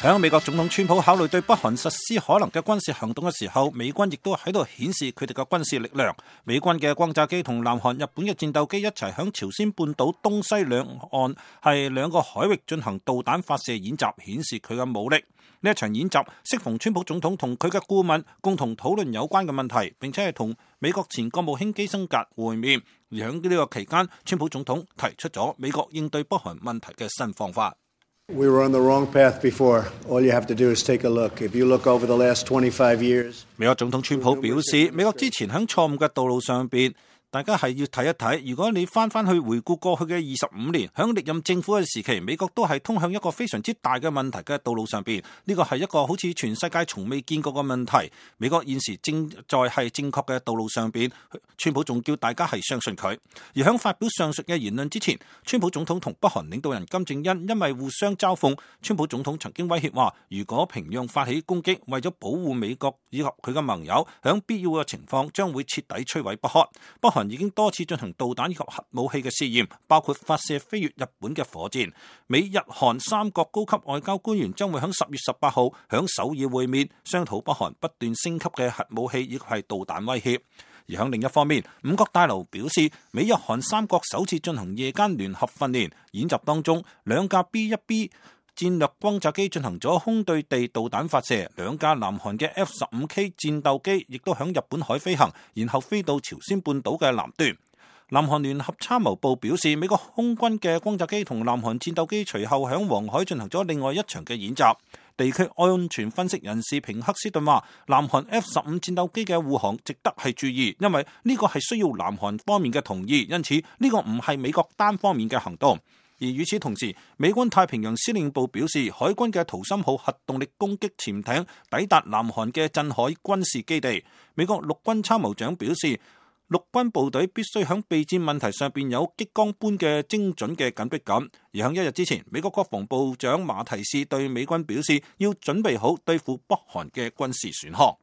喺美國總統川普考慮對北韓實施可能嘅軍事行動嘅時候，美軍亦都喺度顯示佢哋嘅軍事力量。美軍嘅轟炸機同南韓、日本嘅戰鬥機一齊響朝鮮半島東西兩岸係兩個海域進行導彈發射演習，顯示佢嘅武力。呢一場演習適逢川普總統同佢嘅顧問共同討論有關嘅問題，並且係同美國前國務卿基辛格會面。而喺呢個期間，川普總統提出咗美國應對北韓問題嘅新方法。We were on the wrong path before. All you have to do is take a look. If you look over the last 25 years. 美國總統川普表示，美國之前喺錯誤嘅道路上邊，大家係要睇一睇。如果你翻去回顧過去嘅25年，喺歷任政府嘅時期，美國都係通向一個非常之大嘅問題嘅道路上邊。呢個係一個好似全世界從未見過嘅問題。美國現時正在係正確嘅道路上邊，川普仲叫大家係相信佢。而喺發表上述嘅言論之前，川普總統同北韓領導人金正恩因為互相嘲諷，川普總統曾經威脅話，如果平壤發起攻擊，為咗保護美國以及佢嘅盟友，喺必要嘅情況將會徹底摧毀北韓。北韓已經多次進行導彈以及核武器嘅試驗，包括發射飛越日本嘅火箭。美日韓三國高級外交官員將會喺10月18號喺首爾會面，商討北韓不斷升級嘅核武器以及係導彈威脅。而喺另一方面，五角大樓表示，美日韓三國首次進行夜間聯合訓練演習當中，兩架 B-1B 戰略轟炸機進行咗空對地導彈發射，兩架南韓嘅 F-15K 戰鬥機亦都響日本海飛行，然後飛到朝鮮半島嘅南端。南韓聯合參謀部表示，美國空軍嘅轟炸機同南韓戰鬥機隨後響黃海進行咗另外一場嘅演習。地區安全分析人士平克斯頓話，南韓 F-15戰鬥機嘅護航值得係注意，因為呢個係需要南韓方面嘅同意，因此呢個唔係美國單方面嘅行動。而與此同時，美軍太平洋司令部表示，海軍嘅圖森號核動力攻擊潛艇抵達南韓嘅鎮海軍事基地。美國陸軍參謀長表示，陸軍部隊必須喺備戰問題上邊有激光般嘅精準嘅緊迫感。而喺一日之前，美國國防部長馬提斯對美軍表示，要準備好對付北韓嘅軍事選項。